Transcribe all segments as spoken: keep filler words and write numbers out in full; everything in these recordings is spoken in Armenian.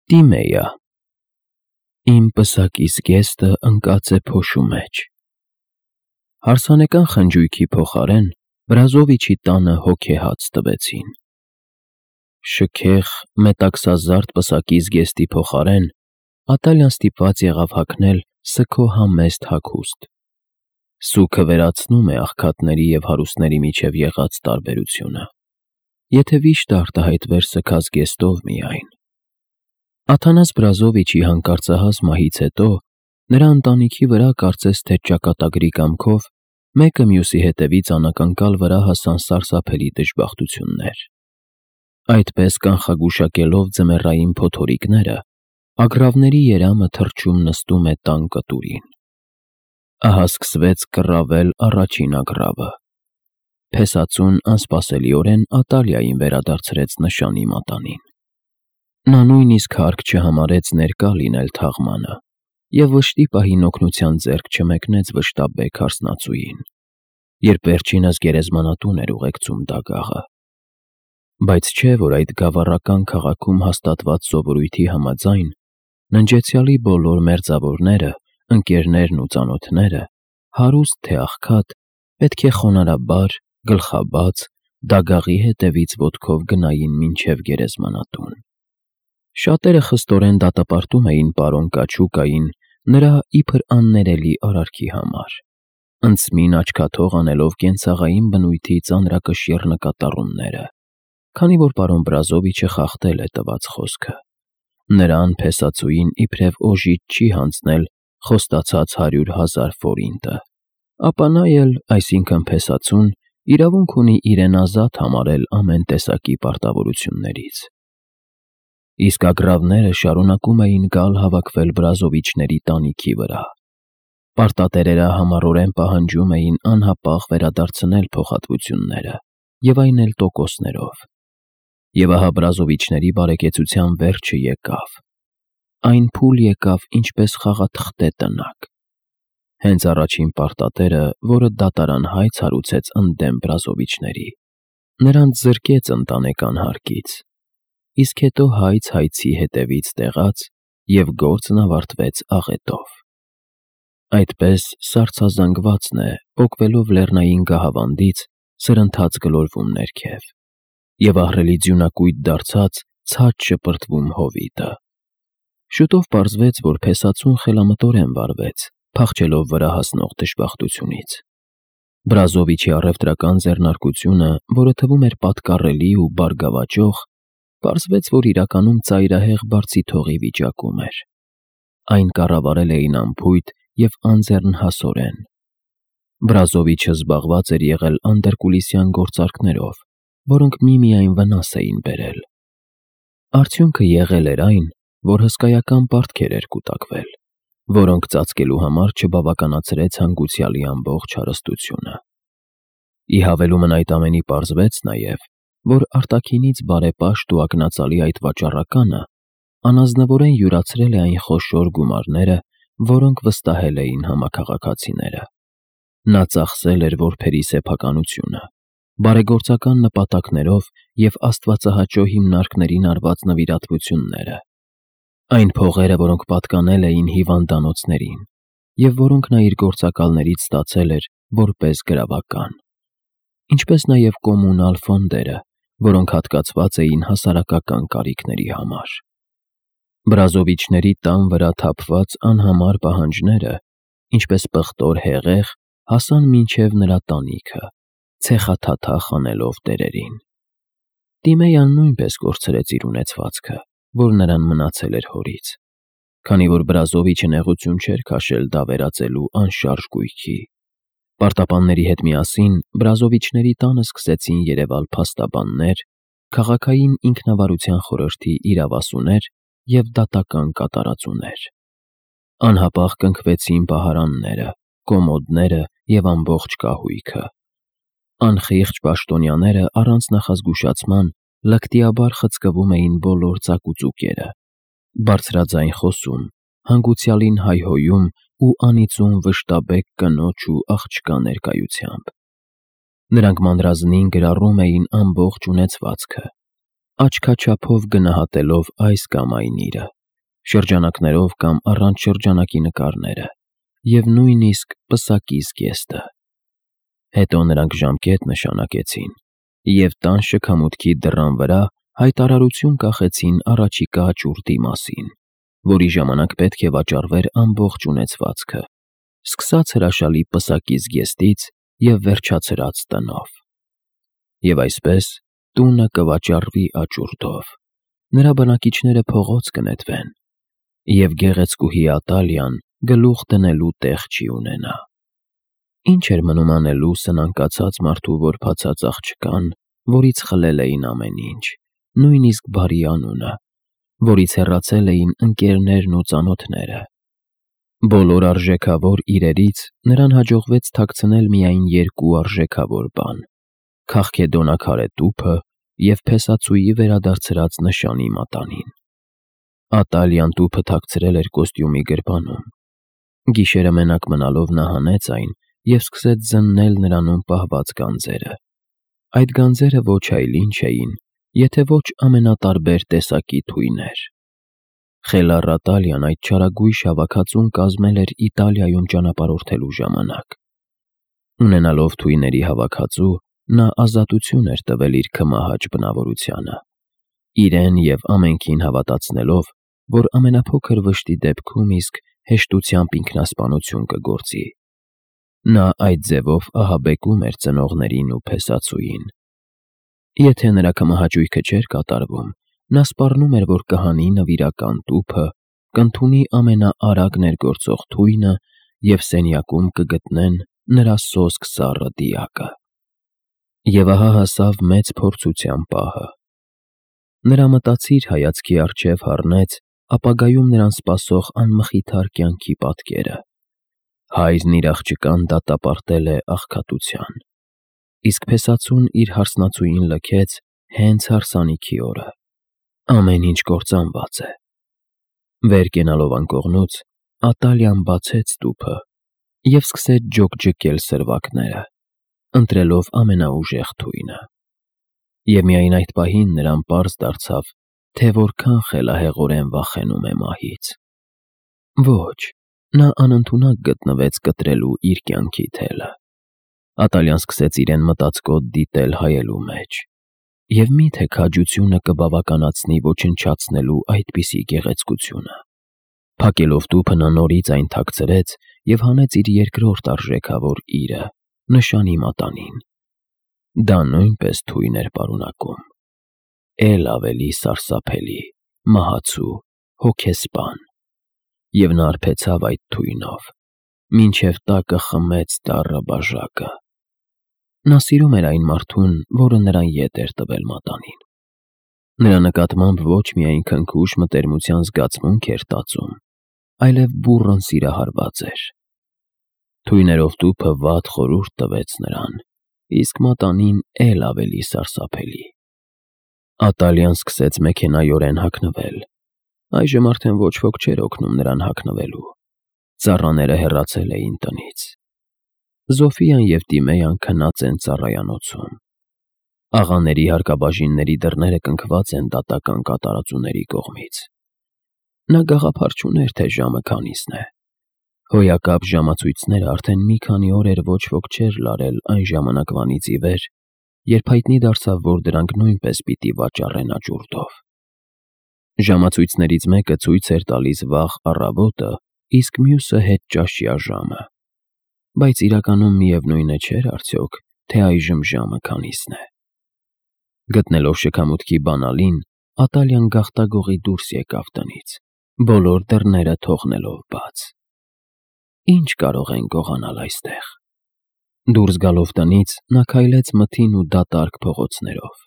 Տիմեյա, իմ պսակի զգեստը ընկած է փոշու մեջ։ Հարսանեկան խնջույքի փոխարեն Բրազովիչի տանը հոգեհաց տվեցին։ Շքեղ, մետաքսազարդ պսակի զգեստի փոխարեն Ատալյան ստիպված եղավ հագնել սգո համեստ հագուստ։ Սուգը վերացնում է աղքատների և հարուստների միջև եղած տարբերությունը, եթե վիշտը արտահայտվեր սգած զգեստով միայն։ Աթանաս Բրազովիչի հանկարծահաս մահից հետո նրա ընտանիքի վրա կարծես թե ճակատագրի կամքով մեկը մյուսի հետևից անակնկալ վրա հասան սարսափելի դժբախտություններ։ Այդպես կանխագուշակելով ձմեռային փոթորիկները, ագռավների երամը թռչում նստում է տան կտուրին։ Ահա սկսվեց կռավել առաջին ագռավը։ Փեսածուն անսպասելիորեն Ատալիային վերադարձրեց նշանի մատանին։ Նա նույնիսկ հարկ չհամարեց ներկա լինել թաղմանը և վշտի պահին օգնության ձեռք չմեկնեց վշտաբեկ հարսնացուին, երբ վերջինս գերեզմանատուն էր ուղեկցում դագաղը։ Բայց չէ՞ որ այդ գավառական քաղաքում հաստատված սովորույթի համաձայն ննջեցյալի բոլոր մերձավորները, ընկերներն ու ծանոթները, հարուստ թե աղքատ, պետք է խոնարհաբար, գլխաբաց, դագաղի հետևից ոտքով գնային մինչև գերեզմանատուն։ Շատերը խստորեն դատապարտում էին պարոն Կաչուկային նրա իբր աններելի արարքի համար, ընդսմին աչքաթող անելով կենցաղային բնույթի ծանրակշիռ նկատառումները, քանի որ պարոն Բրազովիչը խախտել է տված խոսքը։ Նրան փեսածուին իբրև օժիտ չի հանձնել խոստացած հարյուր հազար ֆորինտը, ապա նա էլ, այսինքն փեսածուն, իրավունք ունի իրեն ազատ համարել ամեն տեսակի պարտավորություններից։ Իսկ ագռավները շարունակում էին գալ հավաքվել Բրազովիչների տանիքի վրա։ Պարտատերերը համառորեն պահանջում էին անհապաղ վերադարձնել փոխհատվությունները և այն էլ տոկոսներով։ Եվ ահա Բրազովիչների բարեկեցության վերջը եկավ։ Այն փուլ եկավ ինչպես խաղաթղթե տնակ։ Հենց առաջին պարտատերը, որը դատարան հայց հարուցեց ընդդեմ Բրազովիչների, նրանց զրկեց ընտանեկան հարկից, իսկ հետո հայց֊հայցի հետևից տեղաց, և գործն ավարտվեց աղետով։ Այդպես սառցազանգվածն է, պոկվելով լեռնային գահավանդից, սրընթաց գլորվում ներքև, և ահռելի ձյունակույտ դարձած ցած շպրտվում հովիտը։ Շուտով պարզվեց, որ փեսածուն խելամտորեն վարվեց, փախչելով վրա հասնող դժբախտությունից։ Բրազովիչի առևտրական ձեռնարկությունը, որը թվում էր պատկառելի ու բարգավաճող, պարզվեց, որ իրականում ծայրահեղ բարձիթողի վիճակում էր։ Այն կառավարել էին անփույթ և անձեռնհասորեն։ Բրազովիչը զբաղված էր եղել անդրկուլիսյան գործարքներով, որոնք միմիայն վնաս էին բերել։ Արդյունքը եղել էր այն, որ հսկայական պարտքեր էր կուտակվել, որոնք ծածկելու համար չբավականացրեց հանգուցյալի ամբողջ հարստությունը։ Ի հավելումն այդ ամենի պարզվեց նաև, որ արտաքինից բարեպաշտ ու ակնածալի այդ վաճառականը անազնվորեն յուրացրել է այն խոշոր գումարները, որոնք վստահել էին համաքաղաքացիները։ Նա ծախսել էր որբերի սեփականությունը, բարեգործական նպատակներով և աստվածահաճո հիմնարկներին արված նվիրատվությունները, այն փողերը, որոնք պատկանել էին հիվանդանոցներին, և որոնք նա իր գործակալներից ստացել էր որպես գրավական, ինչպես նաև կոմունալ ֆոնդերը, որոնք հատկացված էին հասարակական կարիքների համար։ Բրազովիչների տան վրա թափված անհամար պահանջները, ինչպես պղտոր հեղեղ, հասան մինչև նրա տանիքը, ցեխաթաթախ անելով տերերին։ Տիմեյան նույնպես կորցրեց իր ունեցվածքը, որ նրան մնացել էր հորից, քանի որ Բրազովիչը նեղություն չէր քաշել դա վերածելու անշարժ գույքի։ Պարտապանների հետ միասին Բրազովիչների տանը սկսեցին երևալ փաստաբաններ, քաղաքային ինքնավարության խորհրդի իրավասուներ և դատական կատարածուներ։ Անհապաղ կնքվեցին պահարանները, կոմոդները և ամբողջ կահույքը։ Անխիղճ պաշտոնյաները առանց նախազգուշացման լկտիաբար խցկվում էին բոլոր ծակուծուկերը, բարձրաձայն խոսում, հանգուցյալին հայհոյում ու անիծում վշտաբեկ կնոջ ու աղջկա ներկայությամբ։ Նրանք մանրազնին գրառում էին ամբողջ ունեցվածքը, աչքաչափով գնահատելով այս կամ այն իրը, շրջանակներով կամ առանց շրջանակի նկարները և նույնիսկ պսակի զգեստը։ Հետո նրանք ժամկետ նշանակեցին և տան շքամուտքի դռան վրա հայտարարություն կախեցին առաջիկա ճուրտի մասին, որի ժամանակ պետք է վաճառվեր ամբողջ ունեցվածքը, սկսած հրաշալի պսակի զգեստից և վերջացրած տնով։ Եվ այսպես տունը կվաճառվի աճուրդով, նրա բնակիչները փողոց կնետվեն, և գեղեցկուհի Ատալիան գլուխ դնելու տեղ չի ունենա։ Ինչ էր մնում անելու սնանկացած մարդու որբացած աղջկան, որից խլել էին ամեն ինչ, նույնիսկ բարի անունը, որից հեռացել էին ընկերներն ու ծանոթները։ Բոլոր արժեքավոր իրերից նրան հաջողվեց թաքցնել միայն երկու արժեքավոր բան՝ քաղքեդոնաքարե տուփը և փեսացուի վերադարձրած նշանի մատանին։ Ատալիան տուփը թաքցրել էր կոստյումի գրպանում։ Գիշերը մենակ մնալով նա հանեց այն և սկսեց զննել նրանում պահված գանձերը։ Այդ գանձերը ոչ այլ ինչ էին, եթե ոչ ամենատարբեր տեսակի թույներ։ Խելառ Ատալիան այդ չարագույժ հավաքածուն կազմել էր Իտալիայում ճանապարհորդելու ժամանակ։ Ունենալով թույների հավաքածու, նա ազատություն էր տվել իր քմահաճ բնավորությանը, իրեն և ամենքին հավատացնելով, որ ամենափոքր վշտի դեպքում իսկ հեշտությամբ ինքնասպանություն կգործի։ Նա այդ ձևով ահաբեկում էր ծնողներին ու փեսացուին։ Եթե նրա քմահաճույքը չէր կատարվում, նա սպառնում էր, որ կհանի նվիրական տուփը, կընդունի ամենաարագ ներգործող թույնը և սենյակում կգտնեն նրա սոսկ սառը դիակը։ Եվ ահա հասավ մեծ փորձության պահը։ Նրա մտածիր հայացքի առջև հառնեց ապագայում նրան սպասող անմխիթար կյանքի պատկերը։ Հայրն իր աղջկան դատապարտել է աղքատության, իսկ փեսացուն իր հարսնացուին լքեց հենց հարսանիքի օրը։ Ամեն ինչ կործանված է։ Վեր կենալով անկողնուց, Ատալիան բացեց տուփը և սկսեց ջոկջկել սրվակները, ընտրելով ամենաուժեղ թույնը։ Եվ միայն այդ պահին նրան պարզ դարձավ, թե որքան խելահեղորեն վախենում է մահից։ Ոչ, նա անընդունակ գտնվեց կտրելու իր կյանքի թելը։ Ատալիան սկսեց իրեն մտածկոտ դիտել հայելու մեջ։ Եվ մի՞թե քաջությունը կբավականացնի ոչնչացնելու այդպիսի գեղեցկությունը։ Փակելով տուփը նա նորից այն թաքցրեց և հանեց իր երկրորդ արժեքավոր իրը՝ նշանի մատանին։ Դա նույնպես թույն էր պարունակում, էլ ավելի սարսափելի, մահացու, հոգեսպան։ Եվ նա արբեցավ այդ թույնով, մինչև տակը խմեց դառը բաժակը։ Նա սիրում էր այն մարդուն, որը նրան ետ էր տվել մատանին։ Նրա նկատմամբ ոչ միայն քնքուշ մտերմության զգացմունք էր տածում, այլև բուռն սիրահարված էր։ Թույներով տուփը վատ խորհուրդ տվեց նրան, իսկ մատանին էլ ավելի սարսափելի։ Ատալիան սկսեց մեքենայորեն հագնվել։ Այժմ արդեն ոչ ոք չէր օգնում նրան հագնվելու։ Ծառաները հեռացել էին տնից։ Զոֆիան և Տիմեյան քնած են ծառայանոցում։ Աղաների հարկաբաժինների դռները կնքված են դատական կատարածուների կողմից։ Նա գաղափար չուներ, թե ժամը քանիսն է։ Հոյակապ ժամացույցները արդեն մի քանի օր էր ոչ ոք չէր լարել այն ժամանակվանից ի վեր, երբ հայտնի դարձավ, որ դրանք նույնպես պիտի վաճառեն աճուրդով։ Ժամացույցներից մեկը ցույց էր տալիս վաղ առավոտը, իսկ մյուսը հետճաշյա ժամը։ Բայց իրականում միևնույնը չէր արդյոք, թե այժմ ժամը քանիսն է։ Գտնելով շքամուտքի բանալին, Ատալիան գաղտագողի դուրս եկավ տնից, բոլոր դռները թողնելով բաց։ Ինչ կարող են գողանալ այստեղ։ Դուրս գալով տնից, նա քայլեց մթին ու դատարկ փողոցներով։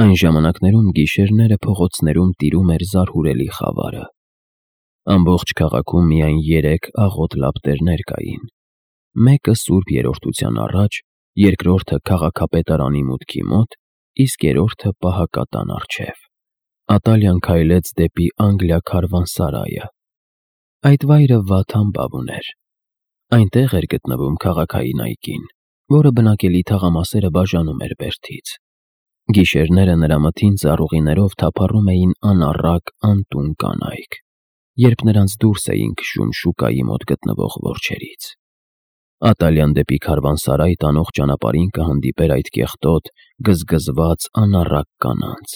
Այն ժամանակներում գիշերները փողոցներում տիրում էր զարհուրելի խավարը։ Ամբողջ քաղաքում միայն երեք աղոտ լապտերներ կային։ Մեկը Սուրբ Երրորդության առաջ, երկրորդը քաղաքապետարանի մուտքի մոտ, իսկ երրորդը պահակատան առջև։ Ատալիան քայլեց դեպի Անգլիա քարվանսարայը։ Այդ վայրը վատ համբավ ուներ։ Այնտեղ էր գտնվում քաղաքային այգին, որը բնակելի թաղամասերը բաժանում էր բերդից։ Գիշերները նրա մթին ծառուղիներով թափառում էին անառակ անտուն կանայք։ երբ նրանց դուրս էին քշում շուկայի մոտ գտնվող որջերից։ Ատալյան դեպի քարվանսարայ տանող ճանապարհին կհանդիպեր այդ կեղտոտ, գզգզված, անառակ կանանց։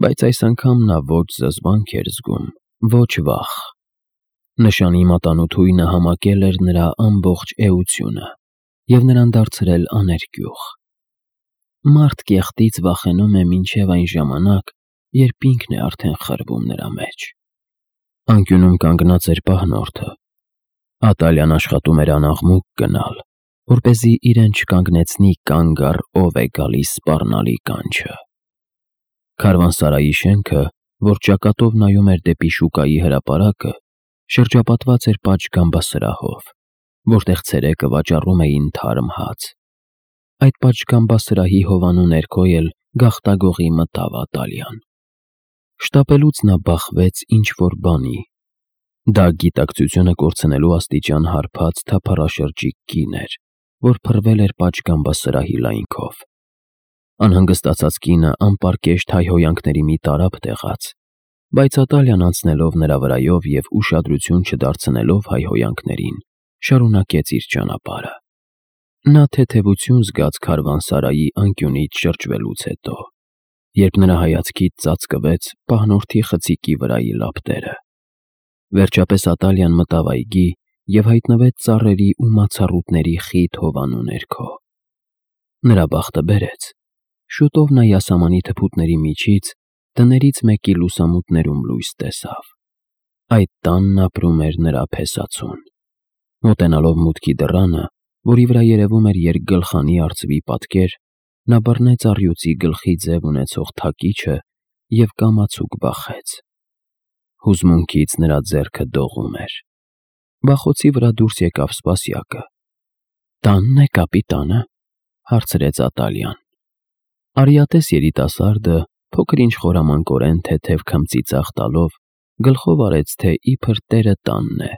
Բայց այս անգամ նա ոչ զզվանք էր զգում, ոչ վախ։ Նշանի մատանու համակել էր նրա ամբողջ էությունը և նրան դարձրել աներկյուղ։ Մարդ կեղտից վախենում է մինչև այն ժամանակ, երբ ինքն է արդեն խրվում նրա մեջ։ Անկյունում կանգնած էր պահնորդը։ Ատալյան աշխատում էր անաղմուկ գնալ, որպեսզի իրեն չկանգնեցնի կանգ առ ով է գալիս սպառնալի կանչը։ Քարվանսարայի շենքը, որ ճակատով նայում էր դեպի շուկայի հրապարակը, շրջապատված էր պատշգամբասրահով, որտեղ ցերեկը վաճառում էին թարմ հաց։ Այդ պատշգամբասրահի հովանու ներքո էլ գաղտագողի մտավ Ատալյան։ Շտապելուց նա բախվեց ինչ-որ բանի։ Դա գիտակցությունը կորցնելու աստիճան հարբած թափառաշրջիկ կին էր, որ փռվել էր պատշգամբասրահի լայնքով։ Անհանգստացած կինը անպարկեշտ հայհոյանքների մի տարափ տեղաց, բայց Ատալյան անցնելով նրա վրայով և ուշադրություն չդարձնելով հայհոյանքներին, շարունակեց իր ճանապարհը։ Նա թեթևություն զգաց քարվանսարայի անկյունից շրջվելուց հետո, երբ նրա հայացքից ծածկվեց պահնորդի խցիկի վրայի լապտերը։ Վերջապես Ատալյան մտավ այգի և հայտնվեց ծառերի ու մացառուտների խիտ հովանու ներքո։ Նրա բախտը բերեց։ Շուտով նա յասամանի թփուտների միջից տներից մեկի լուսամուտներում լույս տեսավ։ Այդ տանն ապրում էր նրա փեսացուն։ Մոտենալով մուտքի դռանը, որի վրա երևում էր երկգլխանի արծվի պատկեր, նա բռնեց առյուծի գլխի ձև ունեցող թակիչը և կամացուկ բախեց։ Հուզմունքից նրա ձեռքը դողում էր։ Բախոցի վրա դուրս եկավ սպասյակը։ «Տանն է, կապիտանը», հարցրեց Ատալյան։ Արիատես երիտասարդը, փոքր-ինչ խորամանկորեն թեթև քմծի ծախ տալով, գլխով արեց, թե իբր տերը տանն է։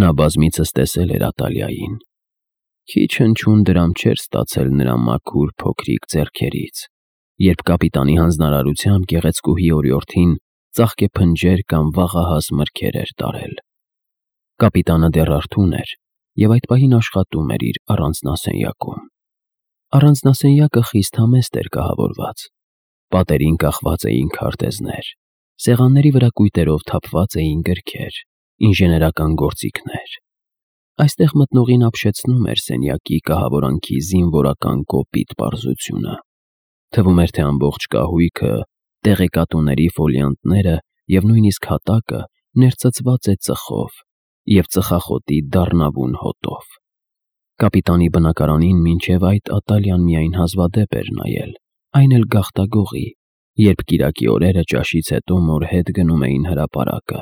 Նա բազմիցս տեսել էր Ատալիային։ Քիչ հնչյուն դրամ չէր ստացել նրա մաքուր փոքրիկ ձեռքերից, երբ կապիտանի հանձնարարությամբ գեղեցկուհի օրիորդին ծաղկեփնջեր կամ վաղահաս մրգեր էր տարել։ Կապիտանը դեռ արթուն էր և այդ պահին աշխատում էր իր առանձնասենյակում։ Առանձնասենյակը խիստ համեստ էր կահավորված։ Պատերին կախված էին քարտեզներ, սեղանների վրա կույտերով թափված էին գրքեր, ինժեներական գործիքներ։ Այստեղ մտնողին ապշեցնում էր սենյակի կահավորանքի զինվորական կոպիտ պարզությունը։ Թվում էր, թե ամբողջ կահույքը, տեղեկատուների ֆոլիանտները և նույնիսկ հատակը ներծծված է ծխով և ծխախոտի դառնավուն հոտով։ Կապիտանի բնակարանին մինչև այդ Ատալյան միայն հազվադեպ էր նայել, այն էլ գաղտագողի, երբ կիրակի օրերը ճաշից հետո մոր հետ գնում էին հրապարակը,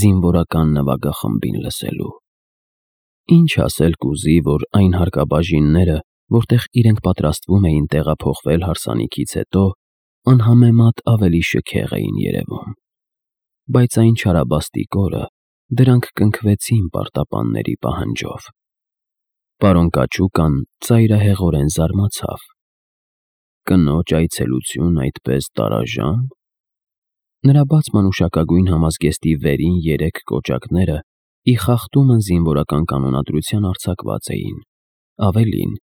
զինվորական նվագախմբին լսելու։ Ինչ ասել կուզի, որ այն հարկաբաժինները, որտեղ իրենք պատրաստվում էին տեղափոխվել հարսանիքից հետո, անհամեմատ ավելի շքեղ էին երևում։ Բայց այն չարաբաստիկ օրը դրանք կնքվեցին պարտապանների պահանջով։ Պարոն Կաչուկան ծայրահեղորեն զարմացավ։ Կնոջ այցելություն այդպես տարաժամ։ Նրա բաց մանուշակագույն համազգեստի վերին երեք կոճակները ի խախտումն զինվորական կանոնադրության արձակված էին։ Ավելին,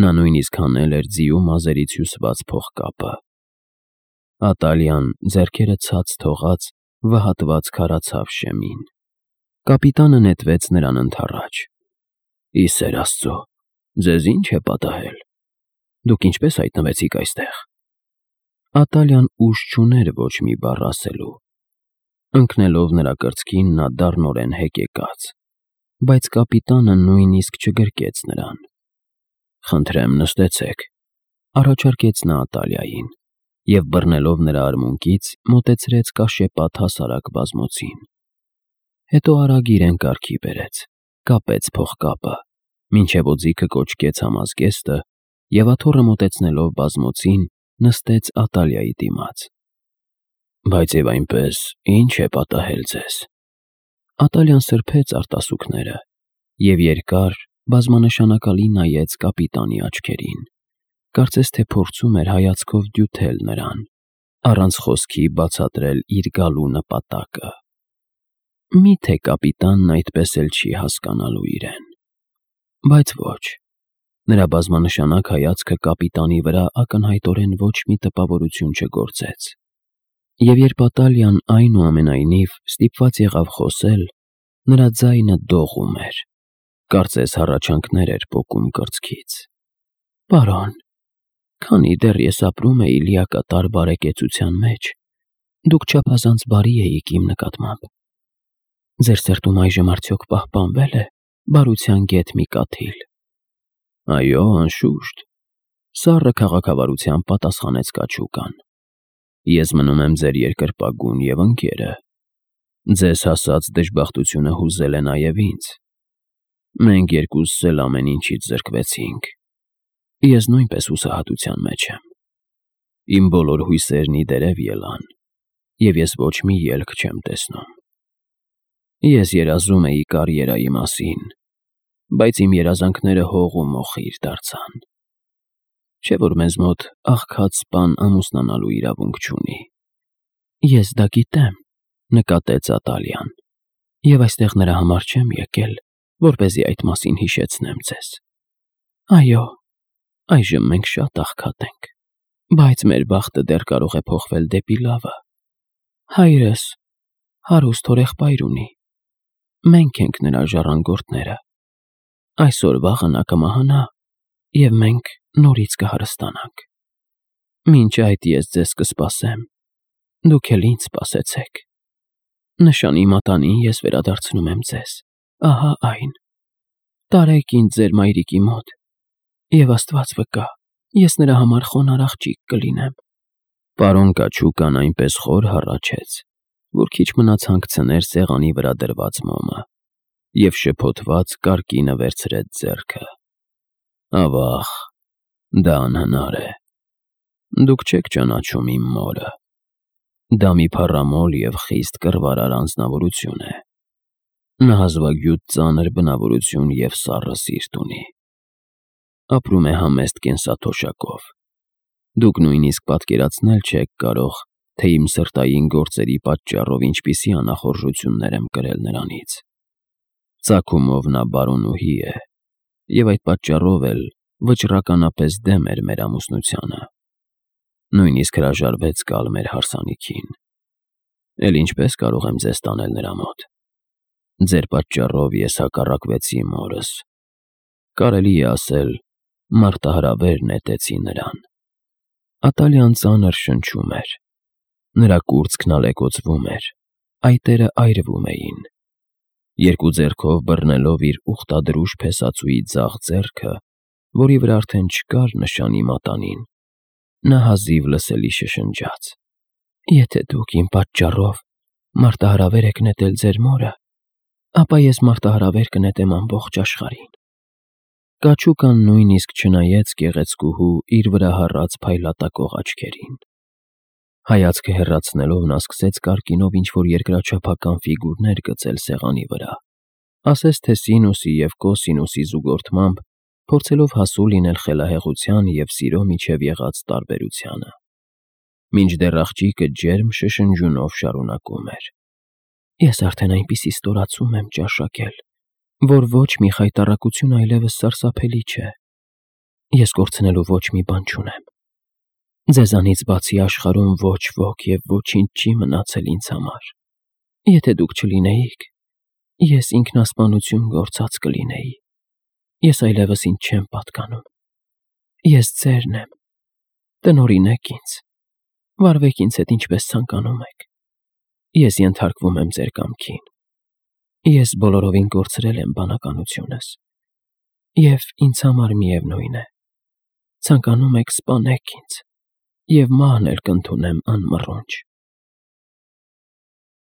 նա նույնիսկ հանել էր ձիու մազերից հյուսված փողկապը։ Ատալյան ձեռքերը ցած թողած վհատված քարացավ շեմին։ Կապիտանը նետվեց նրան ընդառաջ։ «Ի սեր Աստծո, ձեզ ի՞նչ է պատահել։ Դուք ինչպե՞ս հայտնվեցիք այստեղ»։ Ատալյան ուժ չուներ ոչ մի բառ ասելու։ Ընկնելով նրա կրծքին, նա դառնորեն հեկեկաց, բայց կապիտանը նույնիսկ չգրկեց նրան։ «Խնդրեմ, նստեցեք», առաջարկեց նա Ատալիային և, բռնելով նրա արմունկից, մոտեցրեց կաշեպատ հասարակ բազմոցին։ Հետո արագ իրեն կարգի բերեց, կապեց փողկապը, մինչև օձիքը կոչկեց համազգեստը և աթոռը մոտեցնելով բազմոցին, նստեց Ատալիայի դիմաց։ «Բայց և այնպես, ի՞նչ է պատահել ձեզ»։ Ատալյան սրբեց արտասուքները և երկար, բազմանշանակալի նայեց կապիտանի աչքերին, կարծես թե փորձում էր հայացքով դյութել նրան, առանց խոսքի բացատրել իր գալու նպատակը։ Մի՞թե կապիտանն այդպես էլ չի հասկանալու իրեն։ Բայց ոչ, նրա բազմանշանակ հայացքը կապիտանի վրա ակնհայտորեն ոչ մի տպավորություն չգործեց։ Եվ երբ Ատալիան այնուամենայնիվ ստիպված եղավ խոսել, նրա ձայնը դողում էր, կարծես հառաչանքներ էր պոկում կրծքից։ Պարոն, քանի դեռ ես ապրում էի լիակատար բարեկեցության մեջ, դուք չափազանց բարի էիք իմ նկատմամբ։ Ձեր սրտում այժմ արդյոք պահպանվել է բարության գեթ մի կաթիլ։ Այո, անշուշտ, սառը քաղաքավարությամբ պատասխանեց կաչուկան։ Ես մնում եմ ձեր երկրպագուն և ընկերը։ Ձեզ հասած դժբախտությունը հուզել է նաև ինձ։ Մենք երկուսս էլ ամեն ինչից զրկվեցինք։ Ես նույնպես հուսահատության մեջ եմ։ Իմ բոլոր հույսերն ի դերև ելան, և ես ոչ մի ելք չեմ տեսնում։ Ես երազում էի կարիերայի մասին, բայց իմ երազանքները հող ու մոխիր դարձան։ Չէ՞ որ մեզ մոտ աղքատ սպան ամուսնանալու իրավունք չունի։ Ես դա գիտեմ, նկատեց Ատալիան, և այստեղ նրա համար չեմ եկել, որպեսզի այդ մասին հիշեցնեմ ձեզ։ Այո, այժմ մենք շատ աղքատ ենք, բայց մեր բախտը դեռ կարող է փոխվել դեպի լավը։ Հայրս հարուստ հորեղբայր ունի։ Մենք ենք նրա ժառանգորդները։ Այսօր-վաղը նա կմահանա, և մենք նորից կհարստանանք։ Մինչ այդ ես ձեզ կսպասեմ, դուք էլ ինձ սպասեցեք։ Նշանի մատանին ես վերադարձնում եմ ձեզ, ահա այն։ Տարեք ինձ ձեր մայրիկի մոտ, և Աստված վկա, ես նրա համար խոնարհ աղջիկ կլինեմ։ Պարոն կաչուկան այնպես խոր հառաչեց, որ քիչ մնաց հանգցներ սեղանի վրա դրված մոմը, և շփոթված կարկինը վերցրեց ձեռքը։ Ավաղ, դա անհնար է։ Դուք չեք ճանաչում իմ մորը։ Դա մի փառամոլ և խիստ կռվարար անձնավորություն է։ Նա հազվագյուտ ծանր բնավորություն և սառը սիրտ ունի։ Ապրում է համեստ կենսաթոշակով։ Դուք նույնիսկ պատկերացնել չեք կարող, թե իմ սրտային գործերի պատճառով ինչպիսի անախորժություններ եմ կրել նրանից։ Ծագումով նա բարոնուհի է, և այդ պատճառով էլ վճռականապես դեմ էր մեր ամուսնությանը։ Նույնիսկ հրաժարվեց գալ մեր հարսանիքին։ Էլ ինչպե՞ս կարող եմ ձեզ տանել նրա մոտ։ Ձեր պատճառով ես հակառակվեցի մորս։ Կարելի է ասել, մարտահրավեր նետեցի նրան։ Ատալիան ծանր շնչում էր։ Նրա կուրծքն ալեկոծվում էր, այտերը այրվում էին։ Երկու ձեռքով բռնելով իր ուխտադրուժ փեսածուի ձախ ձեռքը, որի վրա արդեն չկար նշանի մատանին, նա հազիվ լսելի շշնջաց. Եթե դուք իմ պատճառով մարտահրավեր եք նետել ձեր մորը, ապա ես մարտահրավեր կնետեմ ամբողջ աշխարհին։ Կաչուկան նույնիսկ չնայեց գեղեցկուհու իր վրա հառած փայլատակող աչքերին։ Հայացքը հեռացնելով նա սկսեց կարկինով ինչ-որ երկրաչափական ֆիգուրներ գծել սեղանի վրա, ասես թե սինուսի և կոսինուսի զուգորդմամբ փորձելով հասու լինել խելահեղության և սիրո միջև եղած տարբերությանը։ Մինչդեռ աղջիկը ջերմ շշնջյունով շարունակում էր. Ես արդեն այնպիսի ստորացում եմ ճաշակել, որ ոչ մի խայտառակություն այլևս սարսափելի չէ։ Ես կորցնելու ոչ մի բան չունեմ։ Ձեզանից բացի աշխարհում ոչ ոք և ոչինչ չի մնացել ինձ համար։ Եթե դուք չլինեիք, ես ինքնասպանություն գործած կլինեի։ Ես այլևս ինձ չեմ պատկանում։ Ես ձերն եմ։ Տնօրինեք ինձ։ Վարվեք ինձ հետ ինչպես ցանկանում եք։ Ես ենթարկվում եմ ձեր կամքին։ Ես բոլորովին կորցրել եմ բանականությունս, և ինձ համար միևնույն է։ Ցանկանում եք սպանեք ինձ, և մահն էլ կընդունեմ անմռունչ։